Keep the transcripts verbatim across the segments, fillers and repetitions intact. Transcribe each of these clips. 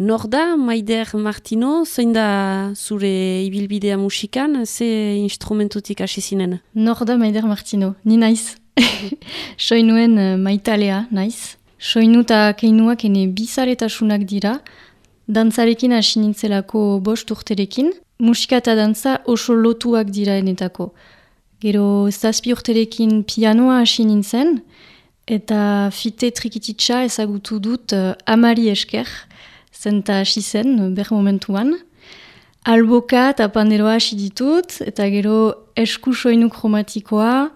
Nor da, Maider Martino, zein da zure ibilbidea musikan, ze instrumentutik hasi zinen? Nor da Maider Martino, ni naiz. Soinuen uh, maitalea naiz. Soinu eta keinuak ene bizaletasunak dira, dantzarekin hasi nintzelako bost urterekin, musika eta dantza oso lotuak dira enetako. Gero zazpi urterekin pianoa hasi nintzen, eta fite trikititsa ezagutu dut uh, amari esker, zenta hasi zen, ber momentuan. Alboka eta panderoa hasi ditut, eta gero esku soinu kromatikoa,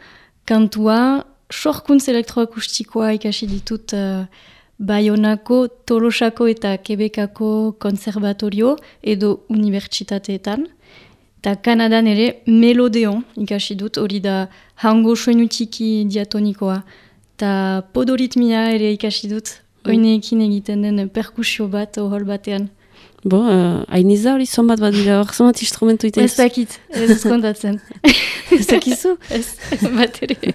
kantua, sorkuntz elektroakustikoa ikasi ditut uh, Baionako, Tolosako eta Quebecako konservatorio edo unibertsitateetan. Eta Kanadan ere melodeon ikasi dut, hori da hango soinu txiki diatonikoa. Eta podoritmia ere ikasi dut, oineekin egiten den perkusio bat ohol batean. Bo, uh, hainiza hori zonbat bat dira, hor zonbat instrumentu iten? Ez dakit, ez kontatzen. Ez dakizu? Ez, bat ere.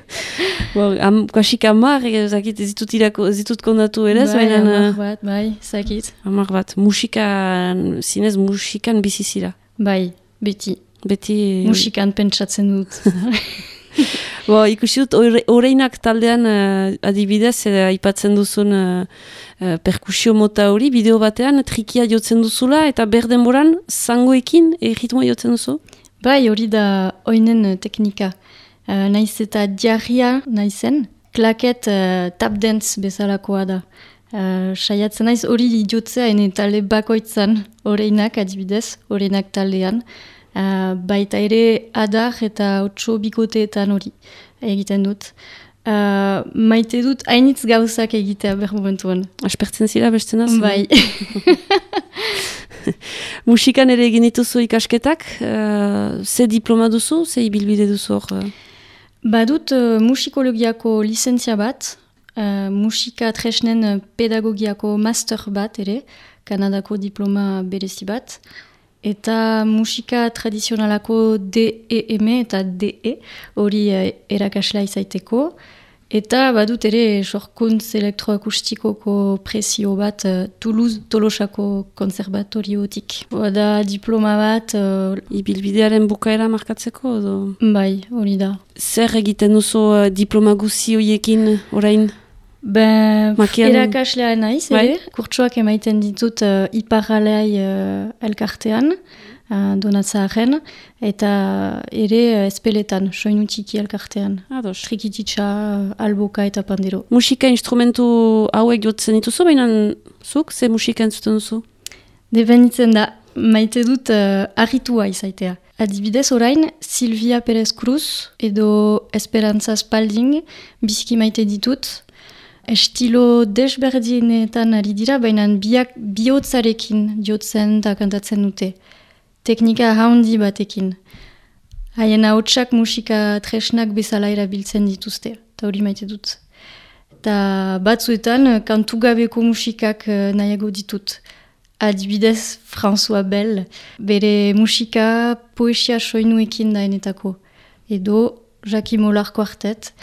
Bo, am, kasik amar, ez dakit, ez ditut, irako, ez ditut kondatu ere, bai, baina... amar bat, bai, ez dakit. Amar bat, musikan, zinez musikan bizizira. Bai, beti. Beti... Musikan pentsatzen dut. Bo, ikusi dut, oreinak taldean uh, adibidez, uh, aipatzen duzun uh, uh, perkusio mota hori, bideo batean, trikia jotzen duzula, eta berdenboran, zangoekin, erritmoa jotzen duzu? Bai, hori da oinen teknika. Uh, naiz eta diarria naizen, klaket uh, tap dance bezalakoa da. Uh, saiatzen naiz hori jotzea ene talde bakoitzan, oreinak adibidez, oreinak taldean. Uh, baita ere adar eta otso bikoteetan hori egiten dut. Uh, maite dut hainitz gauzak egitea ber momentuan. Aspertzen zira bestenaz? Bai. Musikan ere egin dituzu ikasketak, uh, ze diploma duzu, ze ibilbide duzu hor? Badut uh, musikologiako lizentzia bat, uh, musika tresnen pedagogiako master bat ere, Kanadako diploma berezi bat, eta musika tradizionalako D E M eta D E, hori uh, erakaslea izaiteko. Eta badut ere sorkuntz elektroakustikoko presio bat uh, Toulouse Tolosako konservatoriotik. Bada diploma bat... Uh, Ibilbidearen bukaera markatzeko? Edo? Bai, hori da. Zer egiten duzu uh, diploma guzi horiekin orain? Ben, Makian... erakaslea naiz, ere. Kurtsoak emaiten ditut uh, iparralei uh, elkartean, uh, donatzaaren, eta ere uh, espeletan, soinu txiki elkartean. Ados. Trikititsa, uh, alboka eta pandero. Musika instrumentu hauek jotzen dituzu, baina zuk, ze musika entzuten duzu? Debenitzen da, maite dut uh, arritua izaitea. Adibidez orain, Silvia Perez Cruz edo Esperanza Spalding biziki maite ditut. Estilo desberdinetan ari dira, baina biak bihotzarekin jotzen eta kantatzen dute. Teknika haundi batekin. Haien ahotsak musika tresnak bezala erabiltzen dituzte. Eta hori maite dut. Eta batzuetan kantugabeko musikak nahiago ditut. Adibidez François Bell, bere musika poesia soinuekin daenetako. Edo Jackie Molar Quartet,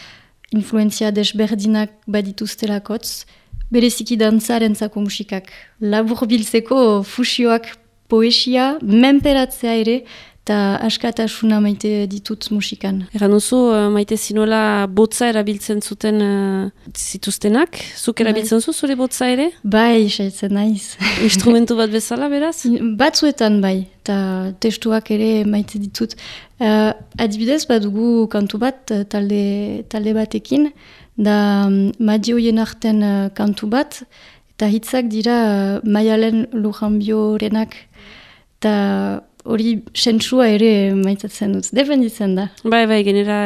influenzia desberdinak badituztelakotz, bereziki dantzarentzako musikak. Labur biltzeko fusioak poesia, menperatzea ere, eta askatasuna maite ditut musikan. Eran oso, uh, maite zinuela botza erabiltzen zuten uh, zituztenak. Zuk erabiltzen zu zure botza ere? Bai, saitzen naiz. Instrumentu bat bezala, beraz? Batzuetan bai, eta testuak ere maite ditut. Uh, adibidez, badugu kantu bat talde, talde batekin, da um, madioien arten uh, kantu bat, eta hitzak dira uh, Maialen Lujanbiorenak, eta hori sentsua ere maitatzen dut, dependitzen da. Bai, bai, genera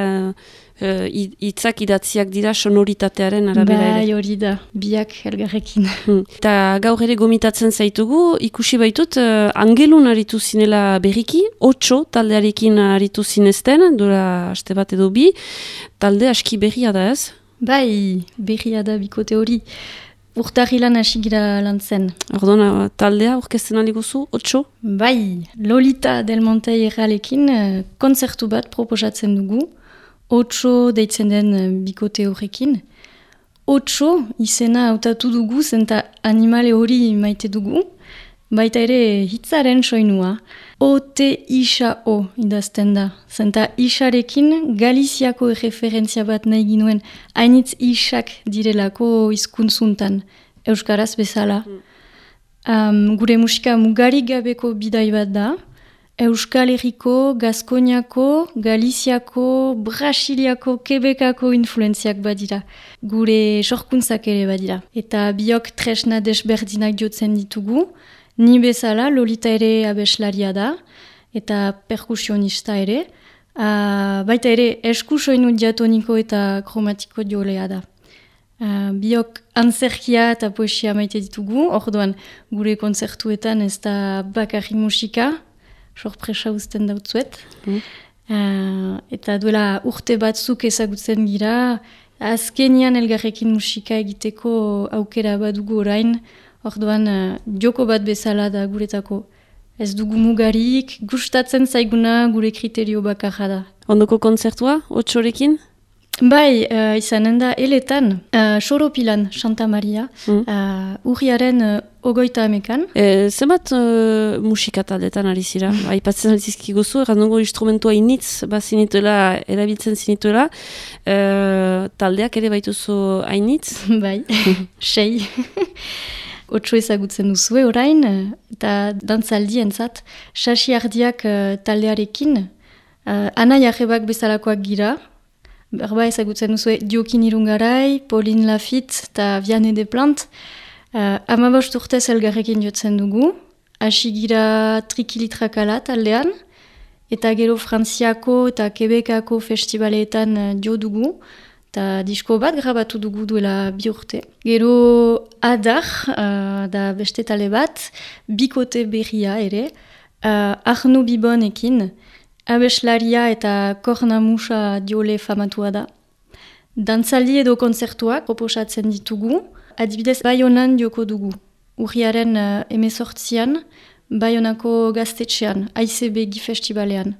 hitzak uh, idatziak dira sonoritatearen arabera ere. Bai, hori da, biak elgarrekin. Hmm. Eta gaur ere gomitatzen zaitugu, ikusi baitut, uh, angelun aritu zinela berriki, otso taldearekin aritu zinezten, dura aste bat edo bi, talde aski berria da ez? Bai, berria da bikote hori. Urtarrilan hasi gira lan zen. Ordona, taldea orkesten aliguzu, otso? Bai, Lolita Del Monte erralekin uh, konzertu bat proposatzen dugu, otso deitzen den uh, bikote horrekin. Otso izena hautatu dugu, zenta animale hori maite dugu, baita ere hitzaren soinua. O T isa O idazten da. Zenta isarekin Galiziako erreferentzia bat nahi ginuen hainitz isak direlako hizkuntzuntan, euskaraz bezala. Um, gure musika mugarik gabeko bidai bat da. Euskal Herriko, Gaskoniako, Galiziako, Brasiliako, Quebecako influenziak badira. Gure sorkuntzak ere badira. Eta biok tresna desberdinak jotzen ditugu. Ni bezala, Lolita ere abeslaria da. Eta perkusionista ere. Uh, baita ere esku soinu diatoniko eta kromatiko jolea da. Uh, biok antzerkia eta poesia maite ditugu. Orduan, gure kontzertuetan ez da bakarri musika. Sorpresa uzten dautzuet. Mm. Uh, eta duela urte batzuk ezagutzen gira, azkenian elgarrekin musika egiteko aukera badugu orain, orduan uh, joko bat bezala da guretako. Ez dugu mugarik, gustatzen zaiguna gure kriterio bakarra da. Ondoko kontzertua, otsorekin? Bai, uh, izanen da eletan, uh, Soropilan, Santa Maria, mm. uh, urriaren uh, ogoita amekan. E, zenbat uh, musika taldetan ari zira? Aipatzen alizizkiguzu, errandugu instrumentua initz, bazinituela, erabiltzen zinituela, uh, taldeak ere baituzu hainitz? Bai, sei. Otso ezagutzen duzue orain, eta dantzaldientzat, Sasi Ardiak uh, taldearekin, uh, Ana Jarrebak bezalakoak gira, berba ezagutzen duzue Diokin Irungarai, Pauline Lafitte eta Vianney Desplantes. Uh, Amabost urtez elgarrekin jotzen dugu, hasi gira Trikilitrakala taldean, eta gero Frantziako eta Quebecako festivaleetan uh, jo dugu, eta disko bat grabatu dugu duela bi urte. Gero Adar, uh, da beste talde bat, bikote berria ere, uh, Arno Bibonekin, abeslaria eta kornamusa diole famatua da. Dantzaldi edo kontzertuak proposatzen ditugu, adibidez Baionan joko dugu. Urriaren uh, emezortzian, Baionako gaztetxean, A I C B G festivalean.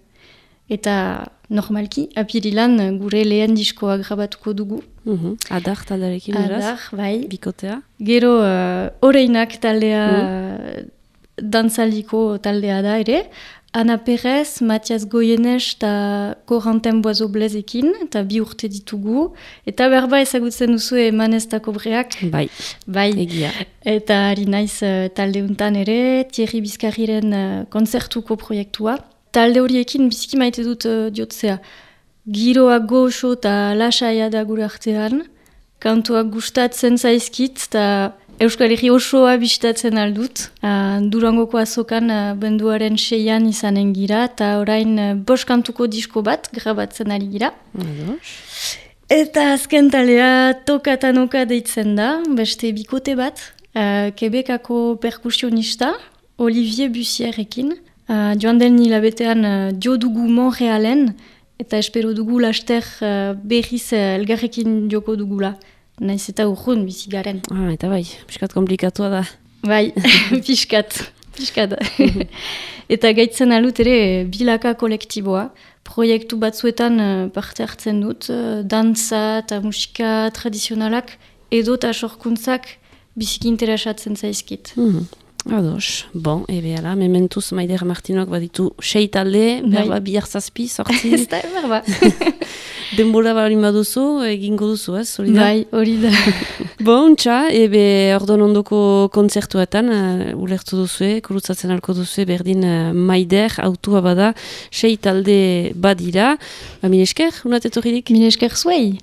Eta normalki, apirilan gure lehen diskoa grabatuko dugu. Mm-hmm. Adar taldearekin eraz? Adar, bai. Bikotea. Gero uh, Oreinak taldea, mm. dantzaldiko taldea da ere. Ana Perez, Matias Goyenes eta Corentin Boiseau-Blezekin, eta bi urte ditugu. Eta berba ezagutzen duzu Emanez eta Kobreak. Bai, bai. Egia. Eta ari naiz uh, talde untan ere, Thierry Bizkarriren uh, konzertuko proiektua. Talde horiekin biziki maite dut uh, diotzea. Giroa goxo eta lasaia da gure artean. Kantuak gustatzen zaizkit eta Euskal Herri osoa bisitatzen aldut. Uh, Durangoko azokan uh, benduaren seian izanen gira, eta orain uh, bost kantuko disko bat grabatzen ari gira. Ados. Eta azken talea Tokatanoka deitzen da, beste bikote bat, uh, Quebecako perkusionista, Olivier Bussierekin. Uh, joan den hilabetean uh, jo dugu Montrealen, eta espero dugu laster uh, berriz uh, elgarrekin joko dugula. Naiz eta urrun bizigaren. Ah, eta bai, piskat komplikatua da. Bai, piskat, piskat. Eta gaitzen alut ere bilaka kolektiboa. Proiektu batzuetan parte hartzen dut, dantza eta musika tradizionalak edo eta sorkuntzak biziki interesatzen zaizkit. Mm-hmm. Ados, bon, ebe ala, mementuz Maider Martinoak baditu sei talde, berba bihar zazpi, sortzi. Ez da, berba. Denbora balin baduzu, egingo duzu, ez? Hori da? Bai, hori da. Bon, txa, ebe ordon ondoko kontzertuetan, uh, ulertu duzue, kurutzatzen alko duzue, berdin uh, Maider, autua bada, sei talde badira. Ba, minesker, unatetorridik? Minesker zuei.